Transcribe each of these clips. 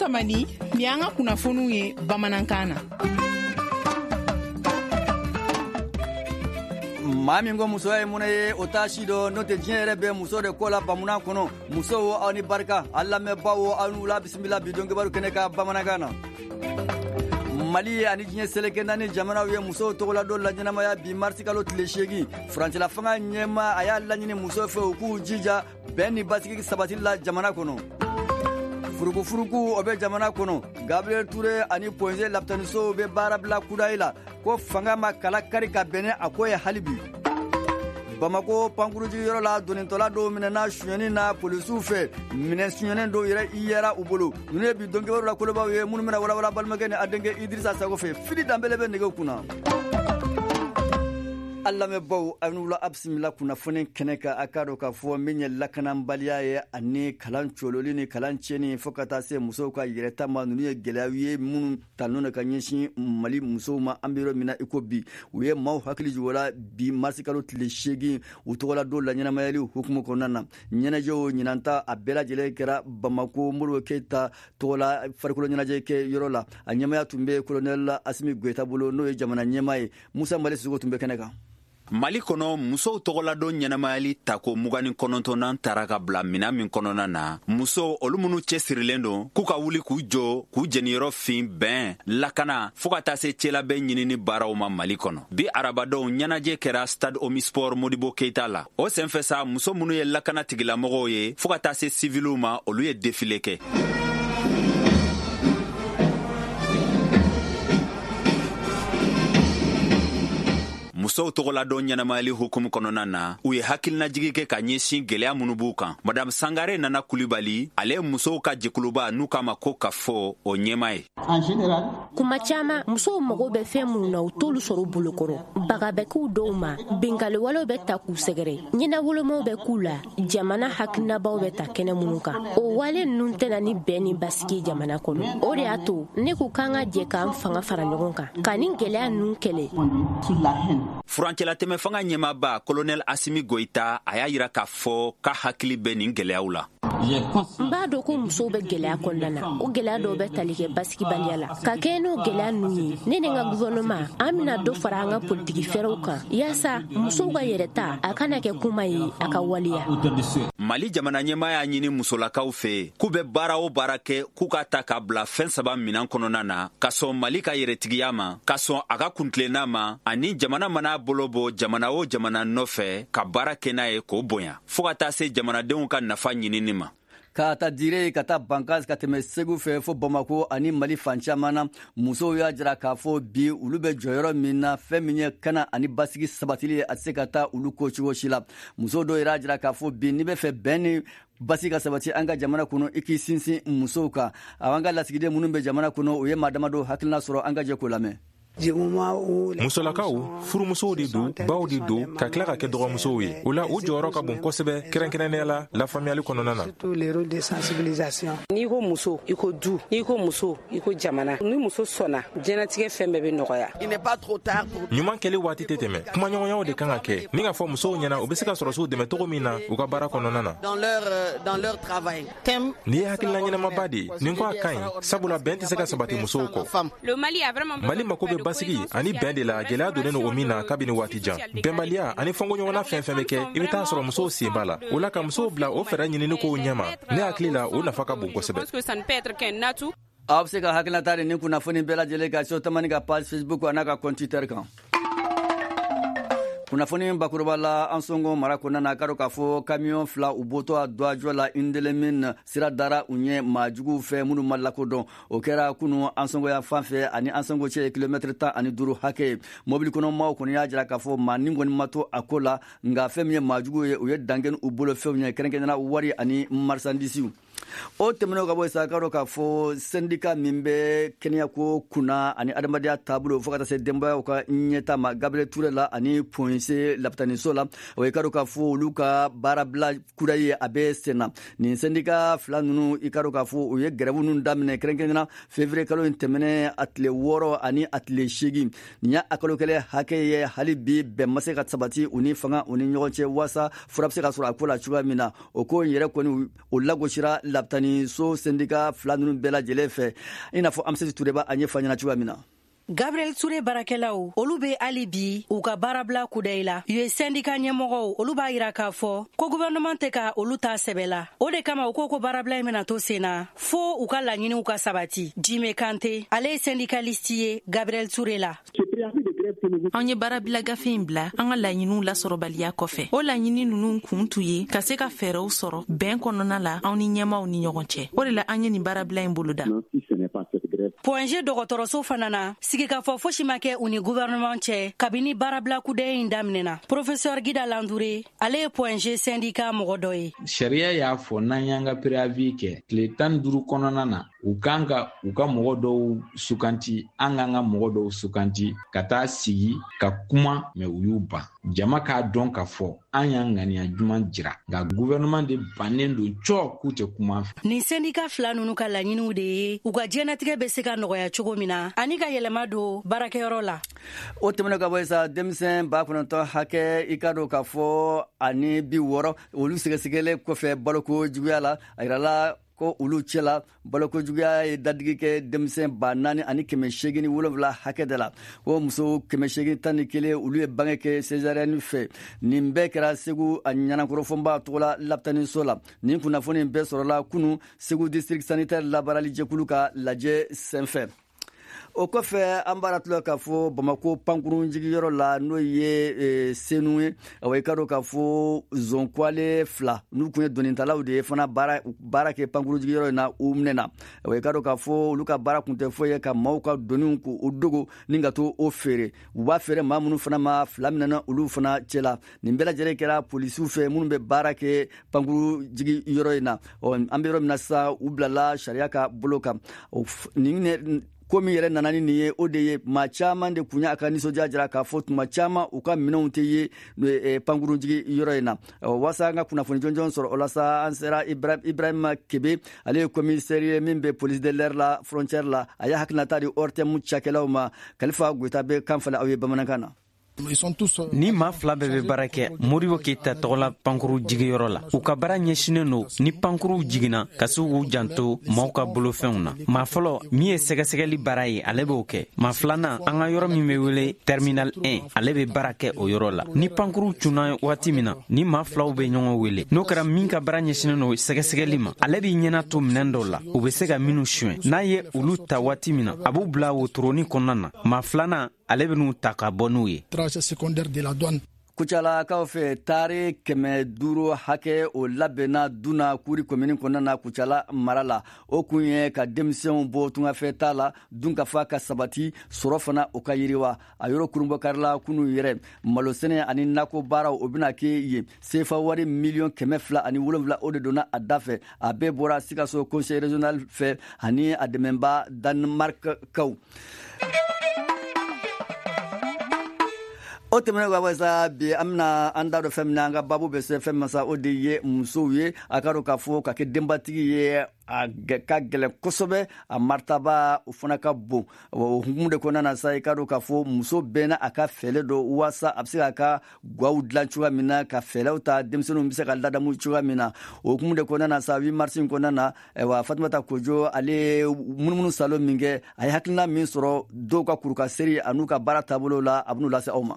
Kamani, nin y'an ka kunnafoniw ye bamanankan na. Maa min ko musoya ye mɔnɛ ye, o t'a si dɔn, n'o tɛ diɲɛ yɛrɛ bɛ muso de ko la bamunan kɔnɔ. Musow, aw ni barika, a lamɛnbaaw, aw ni wula, bisimila bi don kibaru kɛnɛ kan bamanankan na. Mali ani diɲɛ seleke naani jamanaw ye musow tɔgɔladon laɲɛnamaya bi marisi kalo tile 8. Furancɛla fanga ɲɛmaa, a y'a laɲini musow fɛ u k'u jija bɛn ni basigi sabatili la jamana kɔnɔ. Furukufuruku, o bɛ jamana kɔnɔ. Gabriel Ture ani Point G lapitanisow bɛ baarabila kudayi la, ko fanga ma kala kari ka bɛn ni a ko ye hali bi. Bamako pankurujigiyɔrɔ la, donitɔla dɔw minɛna sonyɛni na polisiw fɛ, minɛn sonyɛnen dɔw yɛrɛ i yɛra u bolo. Ninnu ye bi donkibaru la kolobaw ye minnu bɛna walawala balimakɛ ni a denkɛ Idirisa Sago fɛ. Fili Danbele bɛ nɛgɛw kunna. A lamɛnbaw, aw ni wula, a bisimila kunnafoni kɛnɛ kan. A k'a dɔn k'a fɔ min ye lakanabaliya ye ani kalan cololi ni kalan tiɲɛni fo ka taa se musow ka yɛrɛta ma, ninnu ye gɛlɛyaw ye minnu talen don ka ɲɛsin Mali musow ma. An bɛ yɔrɔ min na i ko bi, u ye maaw hakili jigin o la bi marisi kalo tile 8, u tɔgɔla don laɲɛnamayali hukumu kɔnɔna na. Ɲɛnajɛw ɲinanta, a bɛɛ lajɛlen kɛra Bamako Modibo Keyita tɔgɔla farikolo ɲɛnajɛ kɛ yɔrɔ la. A ɲɛmaya tun bɛ kolonɛli Asimi Goyita bolo, n'o ye jamana ɲɛmaa ye. Musa Mali Sisoko tun bɛ kɛnɛ kan. Mali kɔnɔ, musow tɔgɔladon ɲɛnamayali tako 29nan tara ka bila minan min kɔnɔna na, musow olu minnu cɛsirilen don k'u ka wuli k'u jɔ k'u jeniyɔrɔ fin bɛn, lakana, fɔɔ ka taa se cɛlabɛn ɲinini baaraw ma Mali kɔnɔ. Bi arabadon ɲɛnajɛ kɛra Stade Omnisport Modibo Keita la. O senfɛ sa, muso minnu ye lakana tigilamɔgɔw ye fɔɔ ka taa se siviliw ma, olu ye défilé kɛ. Musow tɔgɔladon ɲɛnamayali hukumu kɔnɔna na, u ye hakilinajigi kɛ ka ɲɛsin gwɛlɛya minnu b'u kan. Madame Sangare Nana Kulibali, ale ye musow ka jɛkuluba n'u k'a ma ko ka fɔ o ɲɛma ye. Kuma caman, musow mago bɛ fɛn minnu na, u t'olu sɔrɔ bolokɔrɔ. Baga bɛ k'u dɔw ma, binkanniwalew bɛ ta k'u sɛgɛrɛ, ɲɛnawolomaw bɛ k'u la. Jamana hakilinabaw bɛ ta kɛnɛ minnu kan, o wale ninnu tɛna ni bɛn ni basigi jamana kɔnɔ. O de y'a to ne ko k'an ka jɛ k'an fanga fara ɲɔgɔn kan ka nin gɛlɛya ninnu kɛlɛ. Furancɛlatɛmɛ fanga ɲɛmaaba kolonɛl Asimi Goyita, a y'a yira k'a fɔ k'a hakili bɛ nin gɛlɛyaw la. N b'a dɔn ko musow bɛ gɛlɛya kɔnɔna na. O gɛlɛya dɔw bɛ tali kɛ basigibaliya la. Ka kɛɲɛ n'o gɛlɛya ninnu ye, ne ni n ka gouvernement, an bɛna dɔ fara an ka politiki fɛɛrɛw kan yaasa musow ka yɛrɛta a kana kɛ kuma ye, a ka waleya. Mali jamana ɲɛmaa y'a ɲini musolakaw fɛ k'u bɛ baara o baara kɛ, k'u ka ta k'a bila fɛn saba minan kɔnɔna na: ka sɔn Mali ka yɛrɛtigiya ma, ka sɔn a ka kuntilenna ma, ani jamana mana bolo bɔ jamana o jamana nɔfɛ, ka baara kɛ n'a ye k'o bonya, fɔɔ ka taa se jamanadenw ka nafa ɲinini ma. Ka ta Dire ka taa Bankas, ka tɛmɛ Segu fɛ fo Bamako ani Mali fan caman na, musow y'a jira k'a fɔ bi olu bɛ jɔyɔrɔ min na, fɛn min ye kana ani basigi sabatili ye, a tɛ se ka taa olu ko cogo si la. Muso dɔw yɛrɛ y'a jira k'a fɔ bi, n'i bɛ fɛ bɛn ni basigi ka sabati an ka jamana kɔnɔ, i k'i sinsin musow kan. An ka lasigiden minnu bɛ jamana kɔnɔ, u ye maa damadɔ hakilina sɔrɔ, an ka jɛ k'o lamɛn. Musolakaw furumusow de don, baw de don, ka tila ka kɛ dɔgɔmusow ye. O la, u jɔyɔrɔ ka bon kosɛbɛ, kɛrɛnkɛrɛnnenya la lafaamuyali kɔnɔna na. N'i ko muso, i ko du. N'i ko muso, i ko jamana. Ni muso sɔnna, diɲɛnatigɛ fɛn bɛɛ bɛ nɔgɔya. Ɲuman kɛli waati tɛ tɛmɛ. Kumaɲɔgɔnyaw de kan ka kɛ ni k'a fɔ musow ɲɛna u bɛ se ka sɔrɔsiw dɛmɛ cogo min na u ka baara kɔnɔna na. Nin ye hakilina ɲɛnamaba de ye. Nin ko a ka ɲi, sabula bɛn tɛ se ka sabati musow kɔ. Mali mako bɛ basigi ani bɛn de la, gɛlɛya donnen don o min na kabini waati jan. Bɛnbaliya ani fɔnkɔɲɔgɔnna fɛn fɛn bɛ kɛ, i bɛ taa sɔrɔ musow sen b'a la. O la, ka musow bila o fɛɛrɛ ɲinini kow ɲɛma, ne hakili la, o nafa ka bon kosɛbɛ. Aw bɛ se ka hakilinata ni kunnafoni bɛɛ lajɛlen ka so Tamani ka page Facebook a n'a ka compte Twitter kan. Kunnafoni bakuruba la, Ansongo mara kɔnɔna na, k'a dɔn k'a fɔ kamiyɔn fila u bɔtɔ a dɔajɔ la Indelimine, sira dara u ɲɛ maajuguw fɛ minnu ma lakodɔn. O kɛra kunu Ansongo yan fan fɛ, ani Ansongo cɛ ye kilomɛtiri 15 hakɛ ye. Mobili kɔnɔ maaw kɔni y'a jira k'a fɔ maa nin kɔni ma to a ko la, nka fɛn min ye maajuguw ye, u ye dankɛ u bolo fɛnw ye, kɛrɛnkɛrɛnnenya wari ani marisandisiw. O tɛmɛnen ka bɔ sa, k'a dɔn k'a fɔ sɛndika min bɛ kɛnɛyako kunna ani adamadenya taabolo fo ka taa se denbayaw ka ɲɛta ma Gabriel Ture la ani Point G lapitaniso la, o ye k'a dɔn k'a fɔ olu ka baarabila kura ye, a bɛ sen na. Nin sɛndika fila ninnu, i k'a dɔn k'a fɔ u ye gɛrɛbu ninnu daminɛ kɛrɛnkɛrɛnnenya février kalo in tɛmɛnen, a tile 6 ani a tile 8. Nin y'a a kalo kelen hakɛ ye, hali bi bɛn ma se ka sabati u ni fanga u ni ɲɔgɔn cɛ waasa fura bɛ se ka sɔrɔ a ko la cogoya min na. O ko in yɛrɛ kɔni, o lagosira. lapitaniso sendika fila ninnu bɛɛ lajɛlen fɛ, i n'a fɔ Amisɛti Ture b'a ɲɛfɔ an ɲɛna cogoya min na. Gabriel Touré baarakɛlaw, olu bɛ hali bi u ka baarabila kudayi la. U ye sɛndika ɲɛmɔgɔw, olu b'a yira k'a fɔ ko gouvernement tɛ ka olu ta sɛbɛ la. O de kama u ko ko baarabila in bɛna to sen na fo u ka laɲiniw ka sabati. Jime Kante, ale ye syndicaliste ye Gabriel Touré la. An ye baarabila gafe in bila an ka laɲiniw lasɔrɔbaliya kɔfɛ. O laɲini ninnu kun tun ye ka se ka fɛɛrɛw sɔrɔ bɛn kɔnɔna la anw ni ɲɛmaaw ni ɲɔgɔn cɛ. O de la an ye nin baarabila in boloda. Point G dɔgɔtɔrɔso fana na, sigikafɔ fosi ma kɛ u ni gouvernement cɛ kabini baarabila kudayi in daminɛna. Professeur Gida Landoure, ale ye Point G syndicat mɔgɔ dɔ ye. Sariya y'a fɔ n'an y'an ka préavis kɛ tile 15 kɔnɔna na, u kan ka u ka mɔgɔ dɔw sukanti, an k'an ka mɔgɔ dɔw sukanti ka taa sigi ka kuma, mais u y'u ban. Jama k'a dɔn k'a fɔ an y'an ŋaniya juman jira, nka gouvernement de bannen don cɔ k'u tɛ kuma fɛ. Nin syndicat fila ninnu ka laɲiniw de ye u ka diɲɛnatigɛ bɛ se ka nɔgɔya cogo min na ani ka yɛlɛma don baarakɛyɔrɔ la. O tɛmɛnen ka bɔ yen sa, denmisɛn 9,000 hakɛ, i ka dɔn k'a fɔ ani 60, olu sɛgɛsɛgɛlen kɔfɛ baloko juguya la, a yirala ko olu cɛla baloko juguya ye dadigi kɛ denmisɛn 4,807 hakɛ de la. Ko muso 811, olu ye bange kɛ césarienne fɛ. Nin bɛɛ kɛra Segu a Ɲanankɔrɔ Fɔnba tɔgɔla lapitaniso la. Nin kunnafoni bɛɛ sɔrɔla kunu Segu district sanitaire labaarali jɛkulu ka lajɛ senfɛ. O kɔfɛ, an b'a tila k'a fɔ Bamako pankurun jigiyɔrɔ la, n'o ye Senu ye, awa, i ka dɔn k'a fɔ zonkwale fila n'u kun ye donitalaw de ye fana baara kɛ pankurun jigiyɔrɔ in na, u minɛna. Awa, i ka dɔn k'a fɔ olu ka baara kun tɛ foyi ye ka maaw ka doniw k'o dogo ni ka to o feere. U b'a feere maa minnu fana ma, fila minɛna olu fana cɛla. Nin bɛɛ lajɛlen kɛra polisiw fɛ minnu bɛ baara kɛ pankuru jigiyɔrɔ in na. Ɔ, an bɛ yɔrɔ min na sisan, u bilala sariya ka bolo kan. Nin ko min yɛrɛ nana ni nin ye, o de ye maa caman de kun y'a ka nisɔndiya jira k'a fɔ tuma caman u ka minɛnw tɛ ye pankurunjigi yɔrɔ in na. Walasa an ka kunnafoni jɔnjɔn sɔrɔ o la sa, an sera Ibrahima Kebe, ale ye commissaire ye min bɛ police de l'air la frontière la. A y'a hakilinata di ORTM cakɛlaw ma. Kalifa Goyita bɛ kan falen aw ye bamanankan na. Ni maa fila bɛɛ bɛ baara kɛ Modibo Keyita tɔgɔla pankuru jigiyɔrɔ la. U ka baara ɲɛsinen don ni pankuruw jiginna ka se k'u janto maaw ka bolofɛnw na. Maa fɔlɔ min ye sɛgɛsɛgɛli baara ye, ale b'o kɛ. Maa filanan, an ka yɔrɔ min bɛ wele terminal 1, ale bɛ baara kɛ o yɔrɔ la. Ni pankuruw cunna waati min na, ni maa filaw bɛ ɲɔgɔn wele, n'o kɛra min ka baara ɲɛsinen don sɛgɛsɛgɛli ma, ale b'i ɲɛna to minɛn dɔw la u bɛ se ka minnu suɲɛ. N'a ye olu ta waati min na, a b'u bila wotoronin kɔnɔna na. Maa filanan, ale bɛ n'u ta ka bɔ n'u ye. Kucalakaw fɛ, taari 500 hakɛ o labɛnna Duna Kuri komini kɔnɔna na, Kucala mara la. O kun ye ka denmisɛnw bɔ tungafɛ ta la, dunkafa ka sabati, sɔrɔ fana o ka yiriwa. A yɔrɔ kurunbɔkarila kunu yɛrɛ. Malosɛnɛ ani nakɔ baaraw, o bɛna kɛ yen. Sefa wari miliyɔn 207, o de donna a da fɛ. A bɛɛ bɔra Sikaso conseil régional fɛ ani a dɛmɛba Danemark kaw. O tɛmɛnen ka bɔ sa, bi an bɛna an da don fɛn min na, an ka baabu bɛ se fɛn min ma sa, o de ye musow ye. A ka dɔn k'a fɔ ka kɛ denbatigi ye, a ka gɛlɛn kosɛbɛ, a martaba o fana ka bon. O hukumu de kɔnɔna na sa, i ka dɔn k'a fɔ muso bɛɛ n'a a ka fɛɛrɛ dɔ walasa a bɛ se k'a ka gaw dilan cogoya min na, ka fɛɛrɛw ta denmisɛnninw bɛ se ka ladamu cogoya min na. O hukumu de kɔnɔna na sa, 8 mars in kɔnɔna na, ayiwa, Fatumata Kojo, ale ye munumunu salo min kɛ, a ye hakilina min sɔrɔ dɔw ka kurukaseri an'u ka baara taabolo la, a bɛn'u lase aw ma.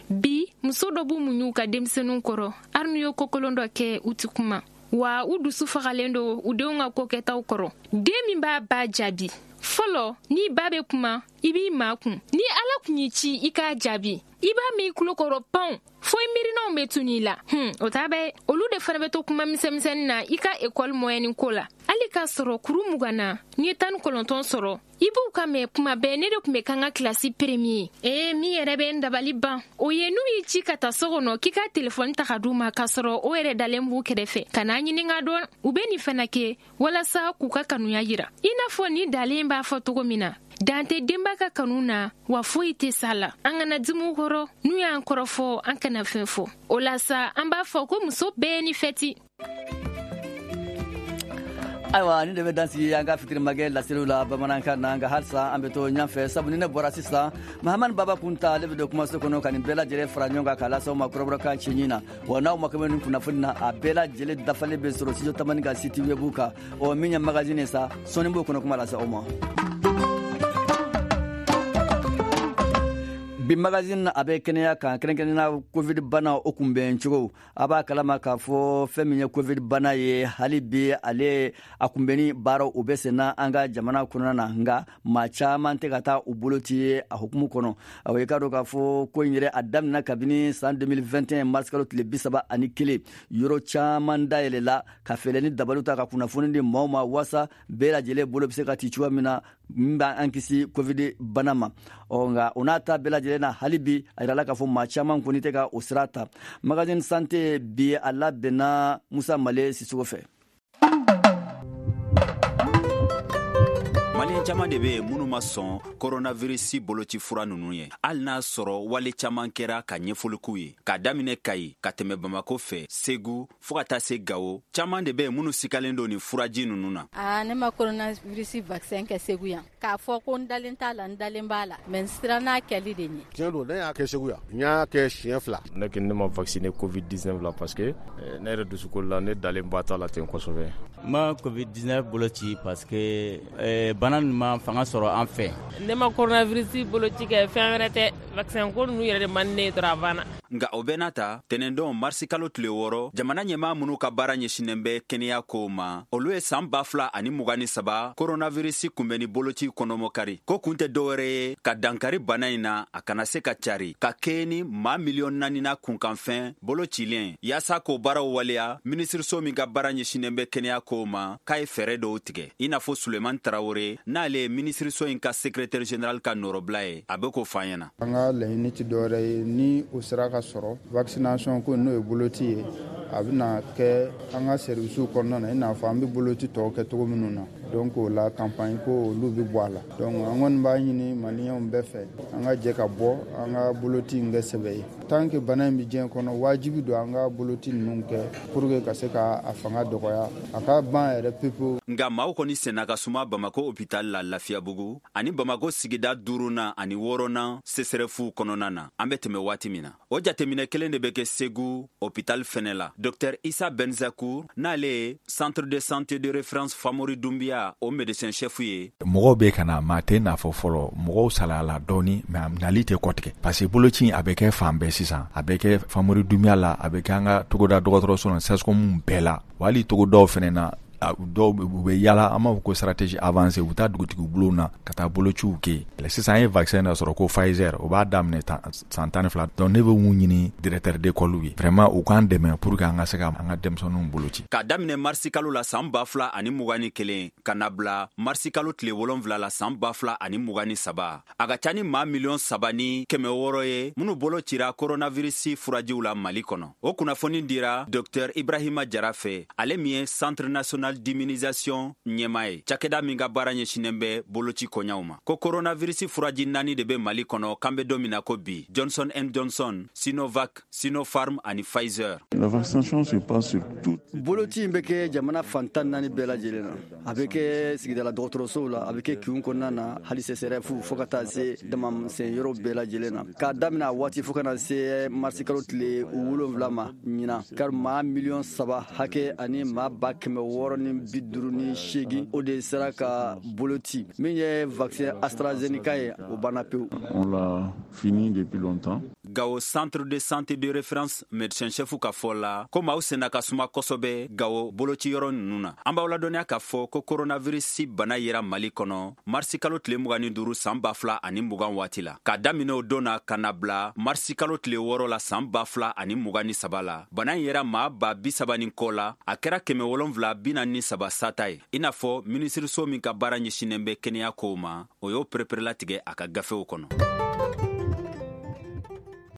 Bi muso dɔ b'u muɲu ka denmisɛnninw kɔrɔ, hali n'u ye kokolon dɔ kɛ, u ti kuma wa, u dusu fagalen don u denw ka kokɛtaw kɔrɔ. Den min b'a ba jaabi fɔlɔ, n'i ba bɛ kuma, i b'i makun. Ni Ala kun y'i ci i k'a jaabi, i b'a mɛn i tulo kɔrɔ pan fo i miirinaw bɛ tunu i la. O t'a bɛɛ, olu de fana bɛ to kuma misɛnmisɛnnin na i ka ekɔli mɔyɛni ko la. Hali k'a sɔrɔ kuru 20 na, n'i ye 19 sɔrɔ, i b'u ka mɛn kuma bɛɛ, ne de tun bɛ k'an ka kilasi premier. Ee, min yɛrɛ bɛ n dabali ban, o ye n'u y'i ci ka taa so kɔnɔ k'i ka telefɔni ta ka d'u ma, k'a sɔrɔ o yɛrɛ dalen b'u kɛrɛfɛ ka n'a ɲininka dɔn. U bɛ nin fana kɛ walasa k'u ka kanuya yira, i n'a fɔ ni dalen b'a fɔ cogo min na, dan tɛ denba ka kanu na wa foyi tɛ s'a la. An kana dimi u kɔrɔ, n'u y'an kɔrɔfɔ, an kana fɛn fɔ. O la sa, an b'a fɔ ko muso bɛɛ ni fɛti. Ayiwa, nin de bɛ dan sigi an ka fitiri magɛ laseliw la bamanankan na. Nka halisa an bɛ to ɲɛfɛ, sabu ni ne bɔra sisan, Mahamani Baba Kunta, ale bɛ don kumaso kɔnɔ ka nin bɛɛ lajɛlen fara ɲɔgɔn kan k'a lase aw ma kɔrɔbɔrɔkan cɛɲi na. Wa n'aw mako bɛ nin kunnafoni na, a bɛɛ lajɛlen dafalen bɛ sɔrɔ Studio Tamani ka site web kan. Ɔ, min ye magazine ye sa, sɔɔni b'o kɔnɔ kuma lase aw ma. Bi magazine, a bɛ kɛnɛya kan, kɛrɛnkɛrɛnnenya Covid bana, o kunbɛn cogo. A b'a kalama k'a fɔ fɛn min ye Covid bana ye, hali bi ale a kunbɛnni baaraw, o bɛ senna an ka jamana kɔnɔna na. Nka maa caman tɛ ka taa u bolo ci a hukumu kɔnɔ. Awa, i k'a dɔn k'a fɔ ko in yɛrɛ, a daminɛ kabini san 2021 mars kalo tile 31, yɔrɔ caman dayɛlɛla ka fɛɛrɛ ni dabaliw ta ka kunnafoni di maaw ma, waasa bɛɛ lajɛlen bolo bɛ se ka ci cogoya min na, min b'an kisi Covid bana ma. Ɔ, nka o n'a ta bɛɛ lajɛlen na, hali bi a yirala k'a fɔ maa caman kɔni tɛ ka o sira ta. Magazine santé bi, a labɛnna Musa Male Sisogo fɛ. Maliyɛn caman de bɛ yen minnu ma sɔn koronavirisi boloci fura ninnu ye, hali n'a sɔrɔ wale caman kɛra ka ɲɛfɔli k'u ye. K'a daminɛ Kayi ka tɛmɛ Bamako fɛ, Segu, fɔɔ ka taa se Gawo, caman de bɛ yen minnu sikalen don nin furaji ninnu na. Aa, ne ma coronavirus vaccin kɛ Segu yan. K'a fɔ ko n dalen t'a la, n dalen b'a la, mais n siran n'a kɛli de ɲɛ. Tiɲɛ don, ne y'a kɛ Segu yan, n y'a kɛ siɲɛ 2. Ne kɔni, ne ma vacciner Covid 19 la parce que ne yɛrɛ dusukolo la, ne dalen ba t'a la ten kosɛbɛ. N ma Covid 19 boloci parce que bana nin ma fanga sɔrɔ an fɛ. Ne ma coronavirus boloci kɛ, fɛn wɛrɛ tɛ, vaccin ko ninnu yɛrɛ de man di ne ye dɔrɔn, a banna. Nka o bɛɛ n'a ta, tɛnɛndon marisi kalo tile 6, jamana ɲɛmaa minnu ka baara ɲɛsinnen bɛ kɛnɛya kow ma, olu ye san 2023 koronavirisi kunbɛnni boloci kɔnɔmɔkari, ko kun tɛ dɔwɛrɛ ye ka dankari bana in na, a kana se ka cari ka kɛɲɛ ni maa miliyɔn 4 na kunkanfɛn bolo cilen. Yaasa k'o baaraw waleya, minisiriso min ka baara ɲɛsinnen bɛ kɛnɛya kow ma, k'a ye fɛɛrɛ dɔw tigɛ, i n'a fɔ Suleman Tarawele, n'ale ye minisiriso in ka secrétaire général ka nɔrɔbila ye, a bɛ k'o fɔ an ɲɛna. An ka laɲini tɛ dɔwɛrɛ ye, ni o sera ka sɔrɔ, vaccination ko, n'o ye boloci ye, a bɛna kɛ an ka services kɔnɔna na, i n'a fɔ an bɛ boloci tɔw kɛ cogo minnu na. Donc o la, campagne ko, olu bɛ bɔ a la. Donc an kɔni b'a ɲini Maliyɛnw bɛɛ fɛ, an ka jɛ ka bɔ, an ka boloci in kɛ sɛbɛ ye. Tant que bana in bɛ diɲɛ kɔnɔ, wajibi don an ka boloci ninnu kɛ pour que ka se ka a fanga dɔgɔya, a ka ban yɛrɛ pewu. Nka maaw kɔni senna ka suma Bamako hôpital la Lafiyabugu ani Bamako sigida duurunan ani wɔɔrɔnan CSRéf kɔnɔna na, an bɛ tɛmɛ waati min na. O jateminɛ kelen de bɛ kɛ Segu hôpital fɛnɛ la. Dr Isa Benzakour, n'ale ye centre de santé de référence Famori Dunbiya, o médecin chef ye. Mɔgɔw bɛ ka na, maa tɛ n'a fɔ fɔlɔ, mɔgɔw salayala dɔɔni, mais nali tɛ kɔtigɛ, parce que boloci a bɛ kɛ fan bɛɛ sisan. A bɛ kɛ Famori Dunbiya la, a bɛ kɛ an ka togoda dɔgɔtɔrɔso la, CSCOM bɛɛ la, wa hali togodaw fɛnɛ na, dɔw u bɛ yala, an b'a fɔ ko stratégie avancée, u bɛ taa dugutigi bulon na ka taa bolociw kɛ yen. Sisan an ye vaccin dɔ sɔrɔ ko Pfizer, o b'a daminɛ san 12. Donc ne bɛ mun ɲini directeur d'école ye, vraiment u k'an dɛmɛ pour que an ka se ka an ka denmisɛnninw boloci. K'a daminɛ marisi kalo la san 2021 ka na bila marisi kalo tile 7 la san 2023, a ka ca ni maa 3,6 miliyɔn ye minnu bolo cira koronavirisi furajiw la Mali kɔnɔ. O kunnafoni dira Dr Ibrahima Jara fɛ, ale min ye Centre national d'immunisation ɲɛma ye, cakɛda min ka baara ɲɛsinnen bɛ boloci koɲaw ma. Ko koronavirisi furaji naani de bɛ Mali kɔnɔ k'an bɛ don min na ko bi: Johnson Johnson, Sinovac, Sinopharm ani Pfizer. La vaccination se passe sur tout. Boloci in bɛ kɛ jamana fan 14 bɛɛ lajɛlen na. A bɛ kɛ sigidala dɔgɔtɔrɔsow la, a bɛ kɛ kinw kɔnɔna na, hali CSRéf, fo ka taa se damamisɛn yɔrɔ bɛɛ lajɛlen na. K'a daminɛ a waati fo ka na se marisi kalo tile 7 ma ɲinan, kari maa 3 miliyɔn hakɛ ani maa 658,000, o de sera ka boloci. Min ye vaccin AstraZeneca ye, o banna pewu. On l'a fini depuis longtemps. Gawo centre de santé de référence médecin chef ka fɔ la, ko maaw senna ka suma kosɛbɛ Gawo bolociyɔrɔ ninnu na. An b'aw ladɔnniya k'a fɔ ko koronavirisi bana yera Mali kɔnɔ marisi kalo tile 25 san 2020 waati la. K'a daminɛ o don na ka na bila marisi kalo tile 6 la san 2023 la, bana in yera maa 30 000 ni kɔ la, a kɛra 743 sata ye, i n'a fɔ minisiriso min ka baara ɲɛsinnen bɛ kɛnɛya kow ma, o y'o pereperelatigɛ a ka gafew kɔnɔ.